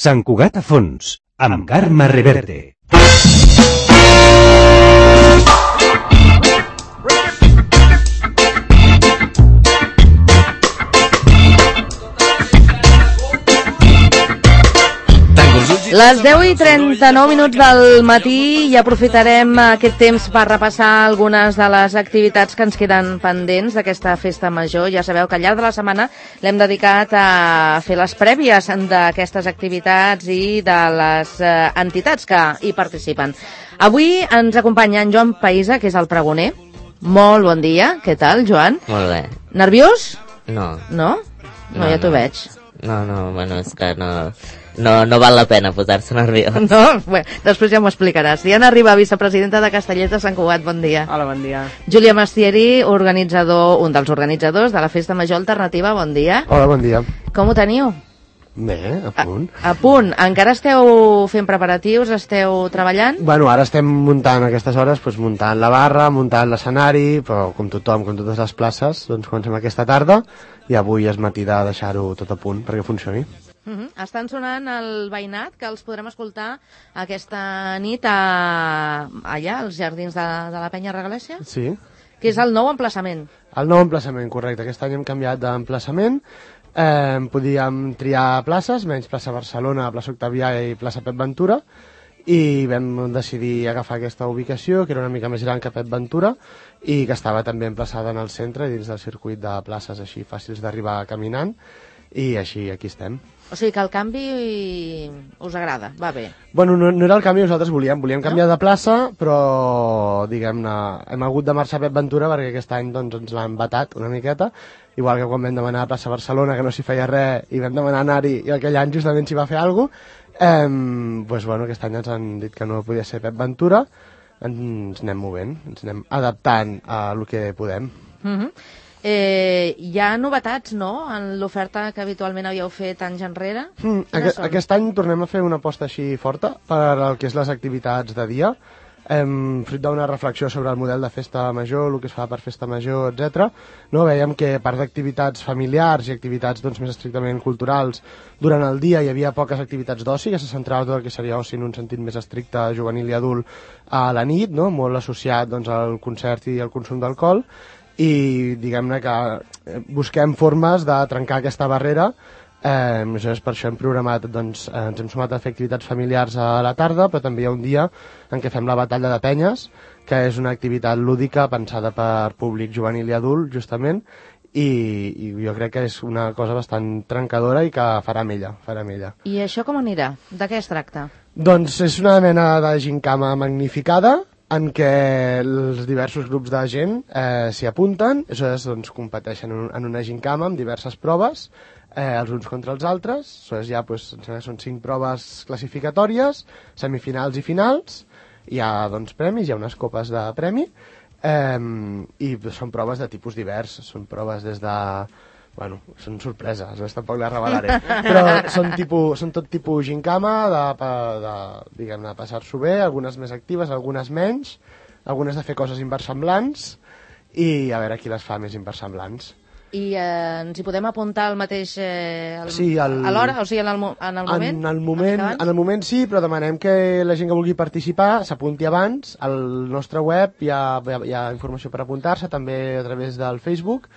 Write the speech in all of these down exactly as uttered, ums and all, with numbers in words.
Sant Cugat a fons, amb Carme Reverte. Les deu i trenta-nou minuts del matí i aprofitarem aquest temps per repassar algunes de les activitats que ens queden pendents d'aquesta festa major. Ja sabeu que al llarg de la setmana l'hem dedicat a fer les prèvies d'aquestes activitats i de les entitats que hi participen. Avui ens acompanya en Joan Païsa, que és el pregoner. Molt bon dia. Què tal, Joan? Molt bé. Nerviós? No. No? No, No, ja t'ho no. veig. No, no, bueno, és que no, no, no val la pena posar-se nerviós. No? Bé, després ja m'ho explicaràs. Diana Riba, vicepresidenta de Castellers de Sant Cugat, bon dia. Hola, bon dia. Júlia Mastieri, organitzador, un dels organitzadors de la Festa Major Alternativa, bon dia. Hola, bon dia. Com ho teniu? Bé, a punt. A, a punt. Encara esteu fent preparatius? Esteu treballant? Bueno, ara estem muntant a aquestes hores, doncs, muntant la barra, muntant l'escenari, però com tothom, com totes les places, doncs comencem aquesta tarda i avui és matí de deixar-ho tot a punt perquè funcioni. Uh -huh. Estan sonant el veïnat, que els podrem escoltar aquesta nit a, allà, als jardins de, de la Penya Regalèssia, Sí. que és el nou emplaçament. El nou emplaçament, correcte. Aquest any hem canviat d'emplaçament. Eh, podíem triar places, menys plaça Barcelona, plaça Octavià i plaça Pep Ventura, i vam decidir agafar aquesta ubicació, que era una mica més gran que Pep Ventura, i que estava també emplaçada en el centre, dins del circuit de places així fàcils d'arribar caminant, i així aquí estem. O sigui que el canvi us agrada, va bé. Bueno, no, no era el canvi que nosaltres volíem, volíem canviar de plaça, però, diguem-ne, hem hagut de marxar a Pep Ventura perquè aquest any doncs, ens l'han vetat una miqueta, igual que quan vam demanar a plaça Barcelona, que no s'hi feia res, i vam demanar anar-hi, i aquell any justament s'hi va fer alguna cosa, eh, doncs, bueno, aquest any ens han dit que no podia ser Pep Ventura, ens anem movent, ens anem adaptant a el que podem. Uh -huh. Eh, hi ha novetats, no?, en l'oferta que habitualment havíeu fet anys enrere? Mm, aquest, aquest any tornem a fer una aposta així forta per el que és les activitats de dia, hem fruit d'una reflexió sobre el model de festa major, el que es fa per festa major, etcètera. No? Veiem que a part d'activitats familiars i activitats doncs, més estrictament culturals, durant el dia hi havia poques activitats d'oci, que se centrava tot el que seria oci en un sentit més estricte, juvenil i adult, a la nit, no? Molt associat doncs, al concert i al consum d'alcohol, i diguem-ne que busquem formes de trencar aquesta barrera. Eh, és per això hem programat, doncs, eh, ens hem sumat a fer activitats familiars a la tarda, però també hi ha un dia en què fem la batalla de penyes, que és una activitat lúdica pensada per públic juvenil i adult, justament, i, i jo crec que és una cosa bastant trencadora i que farà amb ella, farà amb ella. I això com anirà? De què es tracta? Doncs és una mena de gincama magnificada, en què els diversos grups de gent eh, s'hi apunten, aleshores doncs, competeixen en, un, en una gincama amb diverses proves, eh, els uns contra els altres, aleshores ja doncs, són cinc proves classificatòries, semifinals i finals, hi ha doncs, premis, hi ha unes copes de premi, eh, i són proves de tipus divers, són proves des de... Bueno, són sorpreses, doncs tampoc les revelaré, però són, tipus, són tot tipus gincama, de, de, diguem-ne, de passar-s'ho bé, algunes més actives, algunes menys, algunes de fer coses inversemblants, i a veure qui les fa més inversemblants. I eh, ens hi podem apuntar al mateix... Eh, al, sí, el, a l'hora? O sigui, en el, en el moment? En el moment, en el moment sí, però demanem que la gent que vulgui participar s'apunti abans. Al nostre web hi ha, hi ha informació per apuntar-se, també a través del Facebook.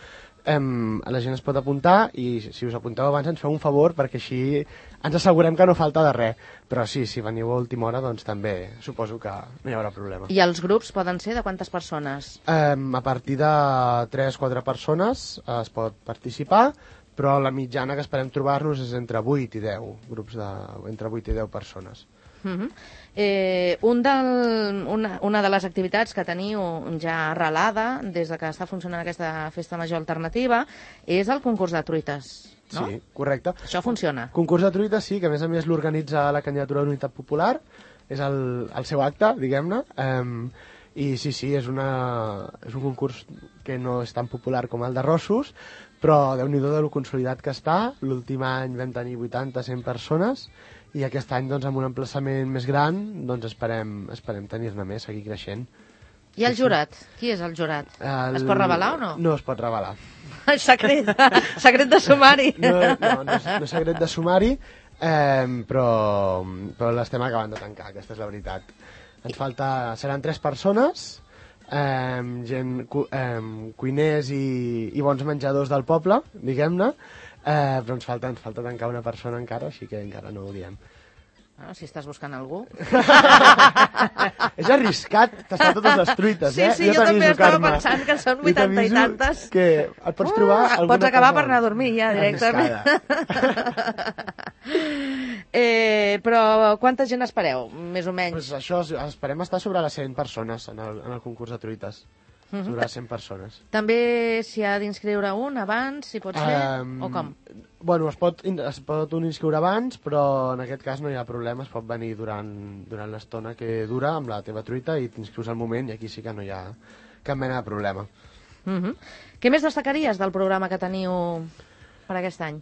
Um, la gent es pot apuntar i si us apunteu abans ens feu un favor perquè així ens assegurem que no falta de res, però sí, si veniu a última hora doncs també suposo que no hi haurà problema. I els grups poden ser de quantes persones? Um, a partir de tres quatre persones es pot participar, però la mitjana que esperem trobar-nos és entre vuit i deu grups, de, entre vuit i deu persones. Uh -huh. eh, un del, una, una de les activitats que teniu ja arrelada des de que està funcionant aquesta festa major alternativa és el concurs de truites, no? Sí, correcte. Això funciona. Concurs de truites sí, que a més a més l'organitza la candidatura d'Unitat Popular, és el, el seu acte, diguem-ne, um, i sí, sí, és, una, és un concurs que no és tan popular com el de Rossos, però déu-n'hi-do de lo consolidat que està. L'últim any vam tenir vuitanta cent persones, i aquest any doncs, amb un emplaçament més gran doncs, esperem, esperem tenir-ne més, seguir creixent. I el jurat? Qui és el jurat? El... Es pot revelar o no? No es pot revelar. Secret, secret de sumari. No, no, no, és, no és secret de sumari. eh, però, però l'estem acabant de tancar, aquesta és la veritat. Ens falta, seran tres persones, eh, gent, cu, eh, cuiners i, i bons menjadors del poble, diguem-ne, eh, però ens falta, ens falta tancar una persona encara, així que encara no ho diem. Ah, si estàs buscant algú. És arriscat tastar totes les truites, sí, eh? Sí, jo, jo també estava pensant que són vuitanta i tantes. Que et pots trobar uh, alguna pots acabar cosa per anar a dormir ja, directament. eh, però quanta gent espereu, més o menys? Pues això, esperem estar sobre les cent persones en el, en el concurs de truites. Uh -huh. Sobre cent persones. També s'hi ha d'inscriure un abans, si pot ser, um, o com? Bueno, es pot, es pot un inscriure abans, però en aquest cas no hi ha problema, es pot venir durant, durant l'estona que dura amb la teva truita i t'inscrius al moment i aquí sí que no hi ha cap mena de problema. Uh -huh. Què més destacaries del programa que teniu per aquest any?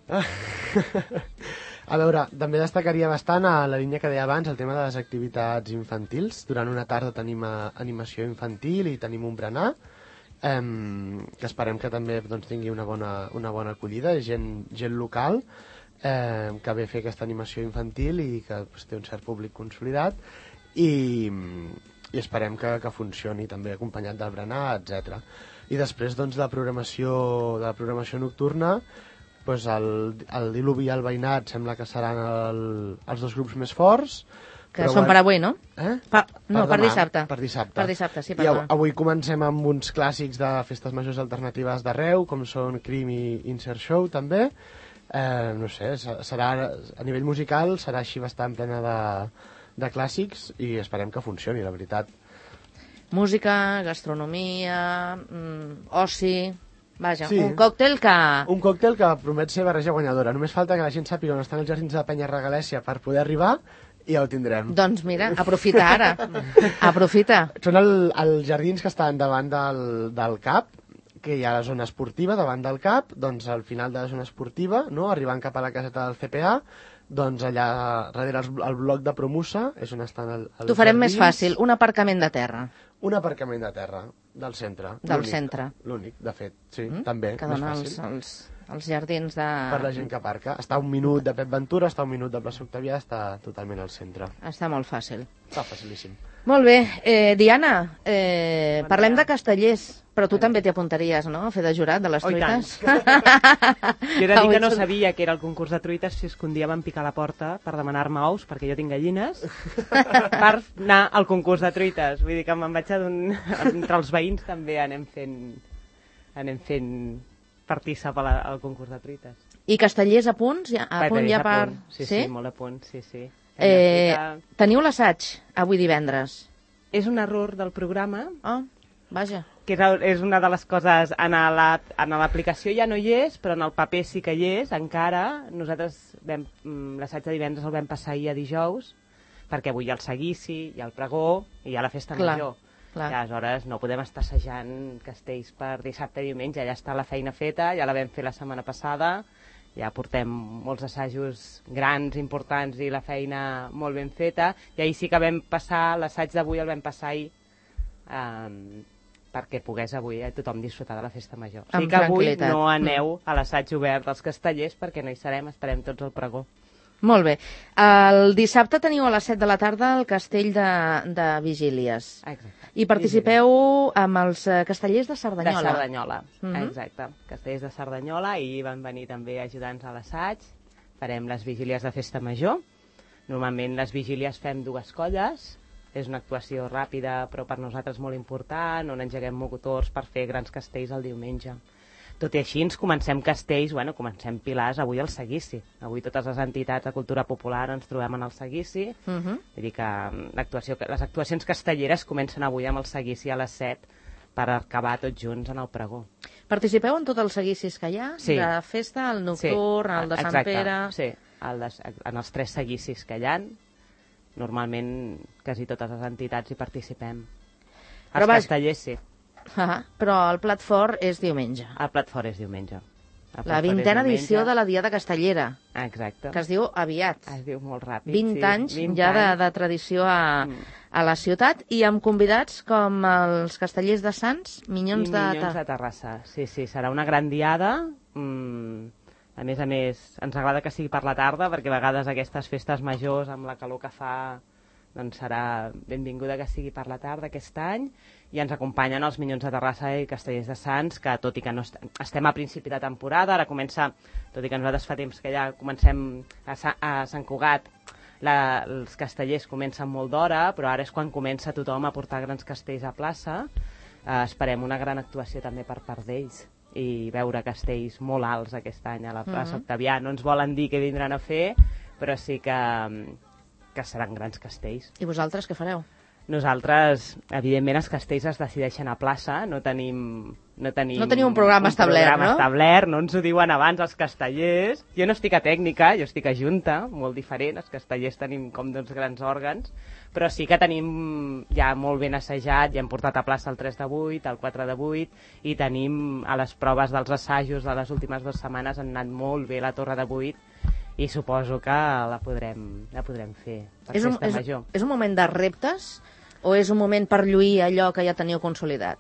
A veure, també destacaria bastant a la línia que deia abans, el tema de les activitats infantils. Durant una tarda tenim animació infantil i tenim un berenar, eh, que esperem que també doncs, tingui una bona, una bona acollida, gent, gent local eh, que ve a fer aquesta animació infantil i que pues, té un cert públic consolidat i, i esperem que, que funcioni també acompanyat del berenar, etcètera. I després doncs, de la programació, de la programació nocturna, pues el, el diluvi i el veïnat sembla que seran el, els dos grups més forts. Que són per avui, no? Eh? Pa, no, per, per demà, dissabte. Per dissabte. Per dissabte, sí, I perdona. avui comencem amb uns clàssics de festes majors alternatives d'arreu, com són Crim i Insert Show, també. Eh, no sé, serà, a nivell musical serà així bastant plena de, de clàssics i esperem que funcioni, la veritat. Música, gastronomia, mm, oci... Vaja, sí. un còctel que... Un còctel que promet ser barreja guanyadora. Només falta que la gent sàpiga on estan els jardins de Penya Regalèssia per poder arribar i ja ho tindrem. Doncs mira, aprofita ara. Aprofita. Són el, els jardins que estan davant del, del C A P, que hi ha la zona esportiva davant del C A P, doncs al final de la zona esportiva, no, arribant cap a la caseta del C P A, doncs allà darrere el, el bloc de Promusa és on estan el, els T'ho farem jardins. més fàcil, un aparcament de terra. Un aparcament de terra, del centre. Del centre. L'únic, de fet, sí, Mm? també, Que més dona fàcil. els, els, els jardins de... Per la gent que aparca. Està a un minut de Pep Ventura, està a un minut de Plaça Octavià, està totalment al centre. Està molt fàcil. Està facilíssim. Molt bé. Eh, Diana, eh, parlem de castellers, però tu també t'hi apuntaries, no?, a fer de jurat de les Oh, i tant. truites. Jo he de dir Avui que no són- sabia que era el concurs de truites si es que un dia van picar a la porta per demanar-me ous, perquè jo tinc gallines, per anar al concurs de truites. Vull dir que me'n vaig adonar... Entre els veïns també anem fent, anem fent partícip a la, al concurs de truites. I castellers a punts? Ja, a punt ja per... punt. Sí, sí, sí, molt a punt, sí, sí. Eh, Hem de fer teniu l'assaig avui divendres? que- És un error del programa, Oh, vaja. que és, és una de les coses, en la- en l'aplicació ja no hi és, però en el paper sí que hi és, encara. Nosaltres vam, mm, l'assaig de divendres el vam passar ahir a dijous, perquè avui hi ha el seguici, hi ha el pregó i hi ha la festa Clar, major. clar. I aleshores no podem estar assajant castells per dissabte i diumenge, ja està la feina feta, ja la vam fer la setmana passada, ja portem molts assajos grans, importants i la feina molt ben feta, i ahir sí que vam passar, l'assaig d'avui el vam passar ahir, um, perquè pogués avui eh, tothom disfrutar de la festa major. O sigui Amb que avui tranquil·litat. no aneu a l'assaig obert dels castellers perquè no hi serem, esperem tots al pregó. Molt bé. El dissabte teniu a les set de la tarda el castell de, de Vigílies. Exacte. I participeu amb els eh, castellers de De Cerdanyola. Cerdanyola, Mhm. exacte. Castellers de Cerdanyola, i van venir també ajudants a l'assaig. Farem les vigílies de festa major. Normalment les vigílies fem dues colles. És una actuació ràpida, però per nosaltres molt important, on engeguem motors per fer grans castells el diumenge. Tot i així, ens comencem castells, bueno, comencem pilars avui al seguici. Avui totes les entitats de cultura popular ens trobem en el seguici. Uh -huh. Vull dir que l'actuació, les actuacions castelleres comencen avui amb el seguici a les set per acabar tots junts en el pregó. Participeu en tots els seguicis que hi ha? Sí. De festa, el nocturn, el de Sant exacte, Pere... Sí, el de, en els tres seguicis que hi ha, normalment quasi totes les entitats hi participem. Però Els vaja- castellers sí, Ah, però el plat fort és diumenge. el plat fort és diumenge. El plat La fort és vintena diumenge. edició de la Diada Castellera, Exacte. que es diu aviat. Es diu molt ràpid. vint sí. anys vint ja de, anys. de tradició a, Mm. a la ciutat, i amb convidats com els castellers de Sants, Minyons, I de, Minyons Ta- de Terrassa. Sí, sí, serà una gran diada. Mm, A més a més, ens agrada que sigui per la tarda, perquè a vegades aquestes festes majors, amb la calor que fa, doncs serà benvinguda que sigui per la tarda aquest any, i ens acompanyen els Minyons de Terrassa i Castellers de Sants, que tot i que no est estem a principi de temporada, ara comença, tot i que nosaltres fa temps que ja comencem a, Sa a Sant Cugat, la, els castellers comencen molt d'hora, però ara és quan comença tothom a portar grans castells a plaça. Eh, esperem una gran actuació també per part d'ells i veure castells molt alts aquest any a la plaça uh -huh. Octavià. No ens volen dir què vindran a fer, però sí que, que seran grans castells. I vosaltres què fareu? Nosaltres, evidentment, els castells es decideixen a plaça, no tenim... No tenim, no tenim un programa un establert, programa no? establert, no ens ho diuen abans els castellers. Jo no estic a tècnica, jo estic a junta, molt diferent, els castellers tenim com dos grans òrgans, però sí que tenim ja molt ben assajat, ja hem portat a plaça el tres de vuit, el quatre de vuit, i tenim a les proves dels assajos de les últimes dues setmanes han anat molt bé la torre de vuit, i suposo que la podrem, la podrem fer per és un, festa és, major. És un moment de reptes o és un moment per lluir allò que ja teniu consolidat?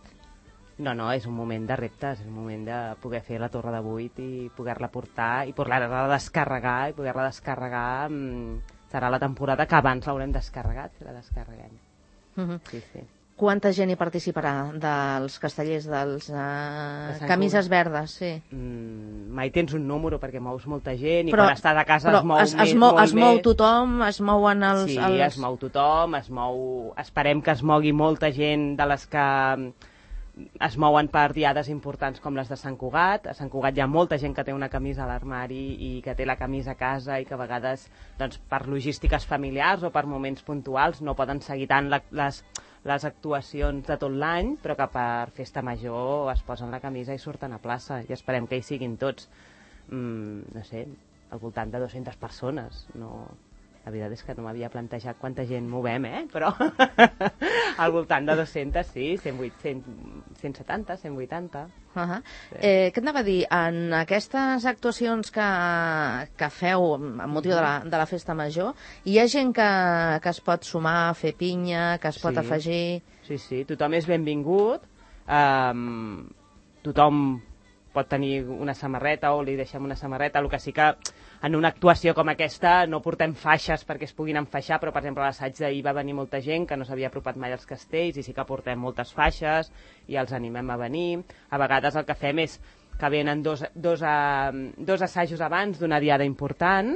No, no, és un moment de reptes, és un moment de poder fer la torre de vuit i poder-la portar i poder-la descarregar, i poder-la descarregar mmm, serà la temporada que abans l'haurem descarregat, si la descarreguem. Uh -huh. Sí, sí. Quanta gent hi participarà dels castellers, dels uh, de camises verdes? Sí. Mm, mai tens un número perquè mous molta gent i però, quan estàs a casa però es mou es, més, es mou, molt es mou més. tothom, es mouen els... Sí, els... es mou tothom, es mou... Esperem que es mogui molta gent de les que es mouen per diades importants com les de Sant Cugat. A Sant Cugat hi ha molta gent que té una camisa a l'armari i que té la camisa a casa i que a vegades doncs, per logístiques familiars o per moments puntuals no poden seguir tant la, les, les actuacions de tot l'any, però que per festa major es posen la camisa i surten a plaça, i esperem que hi siguin tots, mm, no sé, al voltant de dues-centes persones. No... La veritat és que no m'havia plantejat quanta gent movem, eh? Però al voltant de dues-centes, sí, cent vuit, cent, cent setanta, cent vuitanta. Uh -huh. Sí. eh, què et anava a dir? En aquestes actuacions que, que feu amb motiu de la, de la festa major, hi ha gent que, que es pot sumar a fer pinya, que es pot Sí. afegir... Sí, sí, tothom és benvingut, um, tothom pot tenir una samarreta o li deixem una samarreta, el que sí que en una actuació com aquesta no portem faixes perquè es puguin enfaixar, però per exemple a l'assaig d'ahir va venir molta gent que no s'havia apropat mai als castells i sí que portem moltes faixes i els animem a venir. A vegades el que fem és que venen dos, dos, uh, dos assajos abans d'una diada important,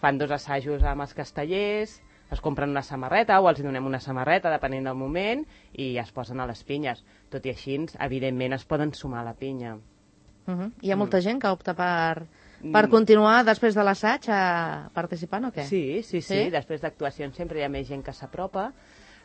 fan dos assajos amb els castellers, es compren una samarreta o els donem una samarreta, depenent del moment, i es posen a les pinyes. Tot i així, evidentment, es poden sumar a la pinya. Uh -huh. Hi ha molta gent que opta per, per continuar després de l'assaig a participant o què? Sí, sí, sí, Sí? sí. Després d'actuacions sempre hi ha més gent que s'apropa.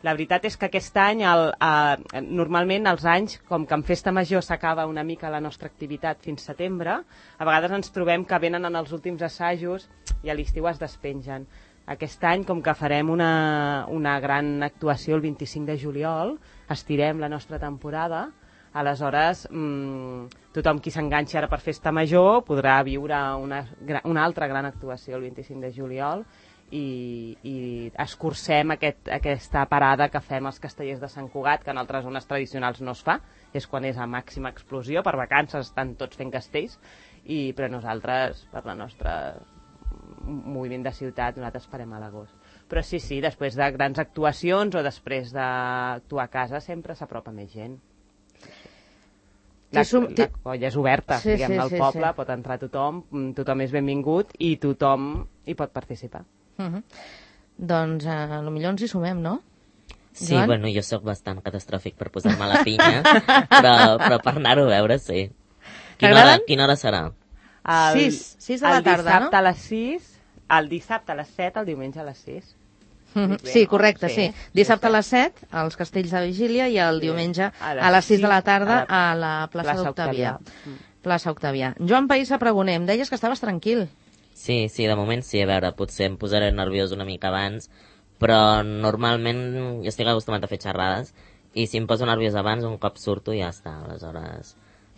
La veritat és que aquest any, el, eh, normalment els anys, com que en festa major s'acaba una mica la nostra activitat fins setembre, a vegades ens trobem que venen en els últims assajos i a l'estiu es despengen. Aquest any, com que farem una, una gran actuació el vint-i-cinc de juliol, estirem la nostra temporada. Aleshores, mmm, tothom qui s'enganxi ara per festa major podrà viure una, una altra gran actuació el vint-i-cinc de juliol i, i escurcem aquest, aquesta parada que fem als castellers de Sant Cugat, que en altres zones tradicionals no es fa, és quan és a màxima explosió, per vacances estan tots fent castells, i, però nosaltres, per la nostra moviment de ciutat, nosaltres farem a l'agost. Però sí, sí, després de grans actuacions o després d'actuar a casa sempre s'apropa més gent. La, la colla és oberta, sí, diguem, sí, al sí, poble, sí. pot entrar tothom, tothom és benvingut i tothom hi pot participar. Uh -huh. Doncs eh, potser ens hi sumem, no? Sí, Joan? bueno, jo sóc bastant catastròfic per posar-me a la pinya, però, però per anar-ho a veure, sí. Quina hora, quina hora serà? El, sis, sis de la tarda, no? El dissabte a les sis, el dissabte a les set, el diumenge a les sis. Mm-hmm. Sí, correcte, sí. sí. Dissabte a les set, als Castells de Vigília, i el sí. diumenge a les, a les sis de la tarda a la, a la plaça, plaça d'Octavià. Plaça Octavià. Joan País, pregoner, em deies que estaves tranquil. Sí, sí, de moment sí, a veure, potser em posaré nerviós una mica abans, però normalment jo estic acostumat a fer xerrades, i si em poso nerviós abans, un cop surto ja està, aleshores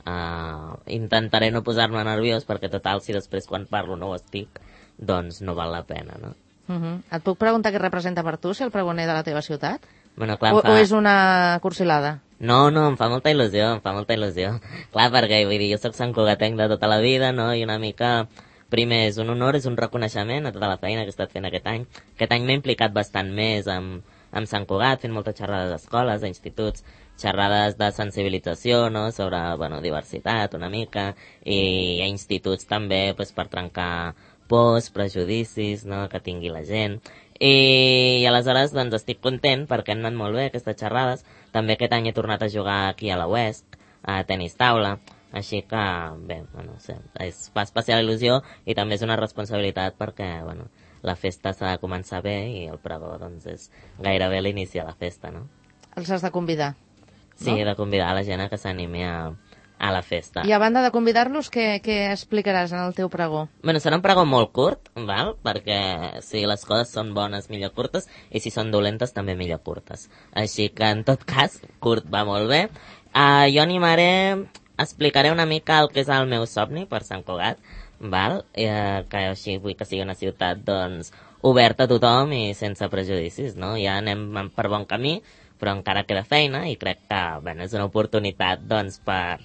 uh, intentaré no posar-me nerviós, perquè total, si després quan parlo no ho estic, doncs no val la pena, no? Uh -huh. Et puc preguntar què representa per tu ser el pregoner de la teva ciutat? Bueno, clar, O, em fa... o és una cursilada? No, no, em fa molta il·lusió, em fa molta il·lusió. Clar, perquè vull dir, jo soc Sant Cugatenc de tota la vida, no? I una mica, primer, és un honor, és un reconeixement a tota la feina que he estat fent aquest any. Aquest any m'he implicat bastant més amb, amb Sant Cugat, fent moltes xerrades d'escoles, a instituts, xerrades de sensibilització, no?, sobre, bueno, diversitat una mica, i a instituts també, pues, per trencar pors, prejudicis, no?, que tingui la gent. I, i aleshores, doncs, estic content perquè han anat molt bé aquestes xerrades. També aquest any he tornat a jugar aquí a la U E S C, a tenis taula, així que, bé, bueno, no sé, es fa especial il·lusió i també és una responsabilitat perquè, bueno, la festa s'ha de començar bé i el pregó, doncs, és gairebé l'inici de la festa, no? Els has de convidar. Sí, he de convidar la gent a que s'animi a, a la festa. I a banda de convidar-los, què, què explicaràs en el teu pregó? Bueno, serà un pregó molt curt, val? Perquè si les coses són bones, millor curtes, i si són dolentes, també millor curtes. Així que, en tot cas, curt va molt bé. Uh, jo animaré, explicaré una mica el que és el meu somni per Sant Cugat, val? Uh, que així vull que sigui una ciutat, doncs, oberta a tothom i sense prejudicis, no? Ja anem per bon camí, però encara queda feina i crec que, bueno, és una oportunitat, doncs, per,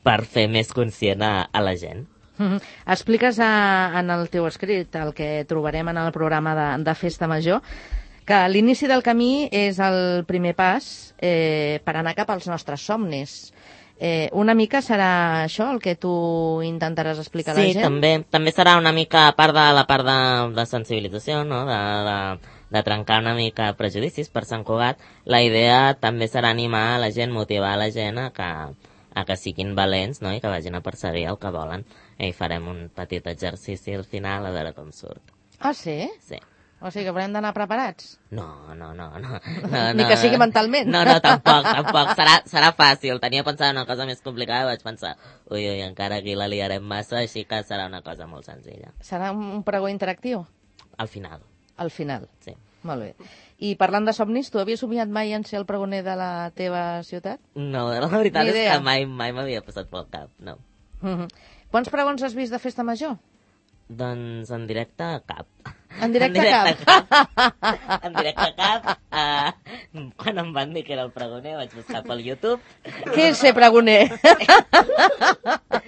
per fer més conscient a, a la gent. Mm-hmm. Expliques a, en el teu escrit, el que trobarem en el programa de, de Festa Major, que l'inici del camí és el primer pas eh, per anar cap als nostres somnis. Eh, una mica serà això el que tu intentaràs explicar a la Sí, gent? Sí, també, també serà una mica a part de la part de, de sensibilització, no?, de, de, de trencar una mica prejudicis per Sant Cugat. La idea també serà animar a la gent, motivar a la gent a que, a que siguin valents, no?, i que vagin a perseguir el que volen. I farem un petit exercici al final a veure com surt. Ah, sí? Sí. O sigui que haurem d'anar preparats? No, no, no, no. no Ni no, que sigui mentalment. No, no, tampoc, tampoc. Serà, serà fàcil. Tenia pensat una cosa més complicada i vaig pensar, ui, ui, encara aquí la liarem massa, així que serà una cosa molt senzilla. Serà un pregó interactiu? Al final. Al final? Sí. Molt bé. I parlant de somnis, tu havies somiat mai en ser el pregoner de la teva ciutat? No, la veritat Ni és idea. que mai, mai m'havia passat pel cap, no. Mm-hmm. Quants pregons has vist de Festa Major? Doncs en directe cap. En directe, en directe cap? cap. En directe cap. Uh, quan em van dir que era el pregoner vaig buscar pel YouTube. Què és ser pregoner?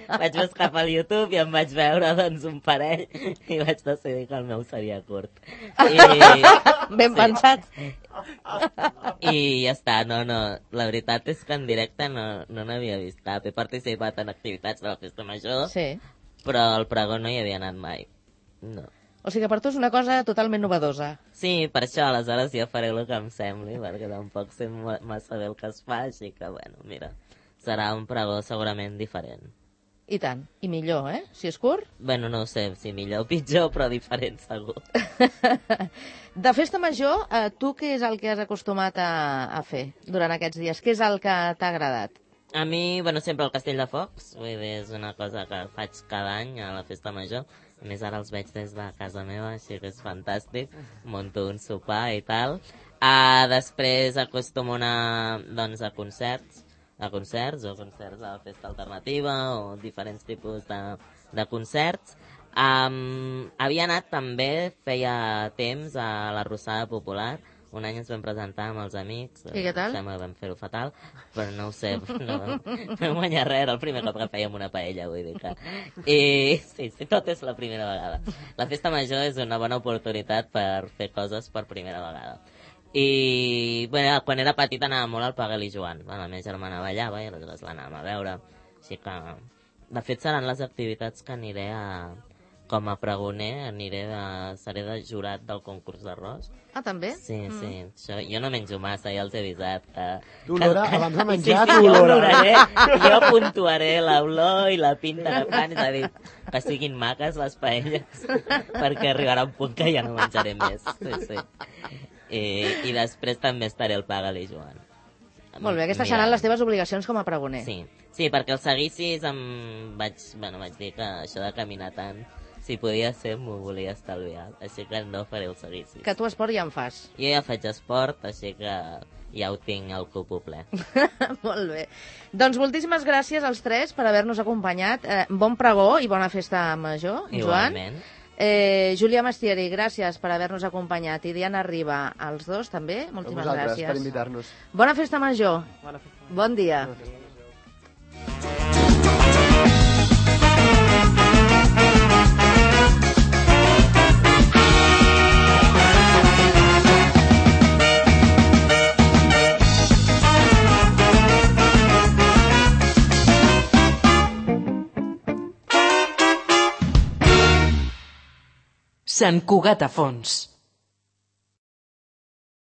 Vaig buscar pel YouTube i em vaig veure, doncs, un parell i vaig decidir que el meu seria curt. I, Ben sí. pensat. I ja està, no, no. La veritat és que en directe no, no n'havia vist cap. He participat en activitats de la Festa Major, Sí. però al pregó no hi havia anat mai. No. O sigui que per tu és una cosa totalment novedosa. Sí, per això, aleshores ja faré el que em sembli, perquè tampoc sé ma- massa bé el que es fa, així que, bueno, mira, serà un pregó segurament diferent. I tant. I millor, eh? Si és curt. Bueno, no ho sé si millor o pitjor, però diferent segur. De Festa Major, eh, tu què és el que has acostumat a, a fer durant aquests dies? Què és el que t'ha agradat? A mi, bueno, sempre el Castell de Focs, vull dir, és una cosa que faig cada any a la Festa Major. A més, ara els veig des de casa meva, així que és fantàstic. Monto un sopar i tal. Uh, després acostumo a anar, doncs, a concerts, a concerts, o concerts a la Festa Alternativa, o diferents tipus de, de concerts. Um, havia anat també, feia temps, a la Rossada Popular. Un any ens vam presentar amb els amics. I què tal? Sembla que vam fer-ho fatal, però no ho sé, no, no vam guanyar res, era el primer cop que fèiem una paella, vull dir que... I sí, sí, tot és la primera vegada. La Festa Major és una bona oportunitat per fer coses per primera vegada. I, bueno, quan era petita anava molt al Pagal i Joan. La meva germana ballava i aleshores l'anàvem a veure. Així que, de fet, seran les activitats que aniré a... Com a pregoner, aniré a... seré de jurat del concurs d'arròs. Ah, també? Sí, mm. sí. Això, jo no menjo massa, ja els he avisat. Que, Tu, Lora, que, abans de menjar, sí, sí, tu, jo Lora. oloraré, jo puntuaré l'olor i la pinta que fan, és a dir, que siguin maques les paelles, perquè arribarà un punt que ja no menjaré més. Sí, sí. I, i després també estaré al Pagal i Joan. Molt bé, aquestes Mira. seran les teves obligacions com a pregoner. Sí, sí, perquè els seguicis em vaig, bueno, vaig dir que això de caminar tant, si podia ser, m'ho volia estalviar, així que no faré el seguici. Que tu esport ja en fas. Jo ja faig esport, així que ja ho tinc al cupo ple. Molt bé. Doncs moltíssimes gràcies als tres per haver-nos acompanyat. Eh, bon pregó i bona festa major, Joan. Igualment. Eh, Júlia Mastieri, gràcies per haver-nos acompanyat. I Diana Riba, els dos també, moltíssimes A vosaltres, gràcies. per invitar-nos. Bona festa major. Bona festa. Bon dia. Sant Cugat a Fons.